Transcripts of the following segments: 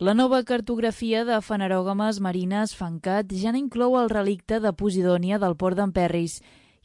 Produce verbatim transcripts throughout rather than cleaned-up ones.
La nova cartografia de fanerògames marines FANCAT ja no inclou el relicte de Posidònia del port d'Emperris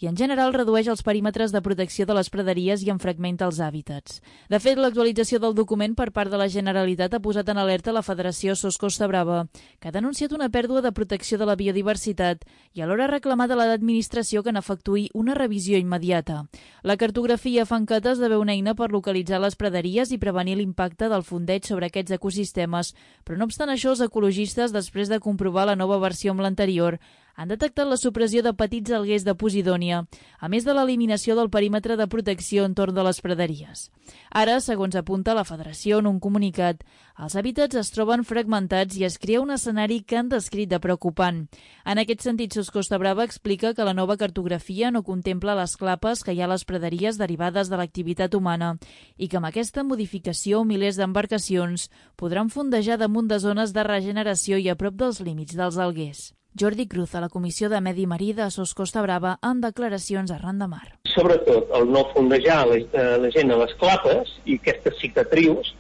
i en general redueix els perímetres de protecció de les praderies i en fragmenta els hàbitats. De fet, l'actualització del document per part de la Generalitat ha posat en alerta la Federació Sos Costa Brava, que ha denunciat una pèrdua de protecció de la biodiversitat i alhora ha reclamat a l'administració que n'efectuï una revisió immediata. La cartografia FANCAT esdevé una eina per localitzar les praderies i prevenir l'impacte del fondeig sobre aquests ecosistemes, però no obstant això, els ecologistes, després de comprovar la nova versió amb l'anterior, han detectat la supressió de petits alguers de Posidònia, a més de l'eliminació del perímetre de protecció entorn de les praderies. Ara, segons apunta la Federació en un comunicat, els hàbitats es troben fragmentats i es crea un escenari que han descrit de preocupant. En aquest sentit, Sos Costa Brava explica que la nova cartografia no contempla les clapes que hi ha a les praderies derivades de l'activitat humana i que amb aquesta modificació milers d'embarcacions podran fondejar damunt de zones de regeneració i a prop dels límits dels alguers. Jordi Cruz, a la Comissió de Medi Marí de Sos Costa Brava, amb declaracions arran de mar. Sobretot, el no fondejar la, la gent a les clapes i aquestes cicatrius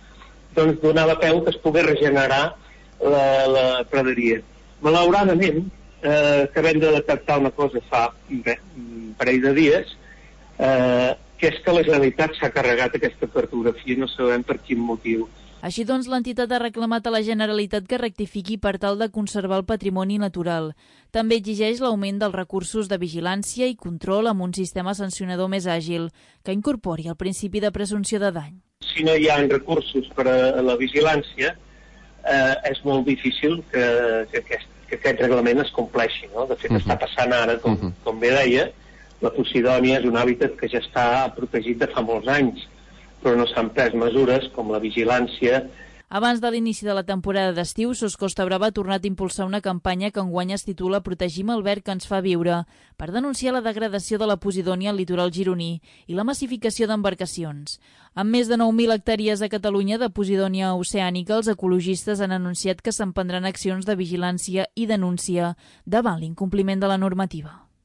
doncs donava peu que es pogués regenerar la, la praderia. Malauradament, eh, acabem de detectar una cosa fa bé, un parell de dies, eh, que és que la Generalitat s'ha carregat aquesta cartografia i no sabem per quin motiu. Així doncs, l'entitat ha reclamat a la Generalitat que rectifiqui per tal de conservar el patrimoni natural. També exigeix l'augment dels recursos de vigilància i control amb un sistema sancionador més àgil, que incorpori el principi de presumpció de dany. Si no hi ha recursos per a la vigilància, eh, és molt difícil que, que, aquest, que aquest reglament es compleixi. No? De fet, uh-huh. està passant ara, com, uh-huh. com bé deia, la Posidònia és un hàbitat que ja està protegit de fa molts anys, però no s'han pres mesures com la vigilància. Abans de l'inici de la temporada d'estiu, Sos Costa Brava ha tornat a impulsar una campanya que enguany es titula Protegim el verd que ens fa viure, per denunciar la degradació de la Posidònia al litoral gironí i la massificació d'embarcacions. Amb més de nou mil hectàrees a Catalunya de Posidònia oceànica, els ecologistes han anunciat que s'emprendran accions de vigilància i denúncia davant l'incompliment de la normativa.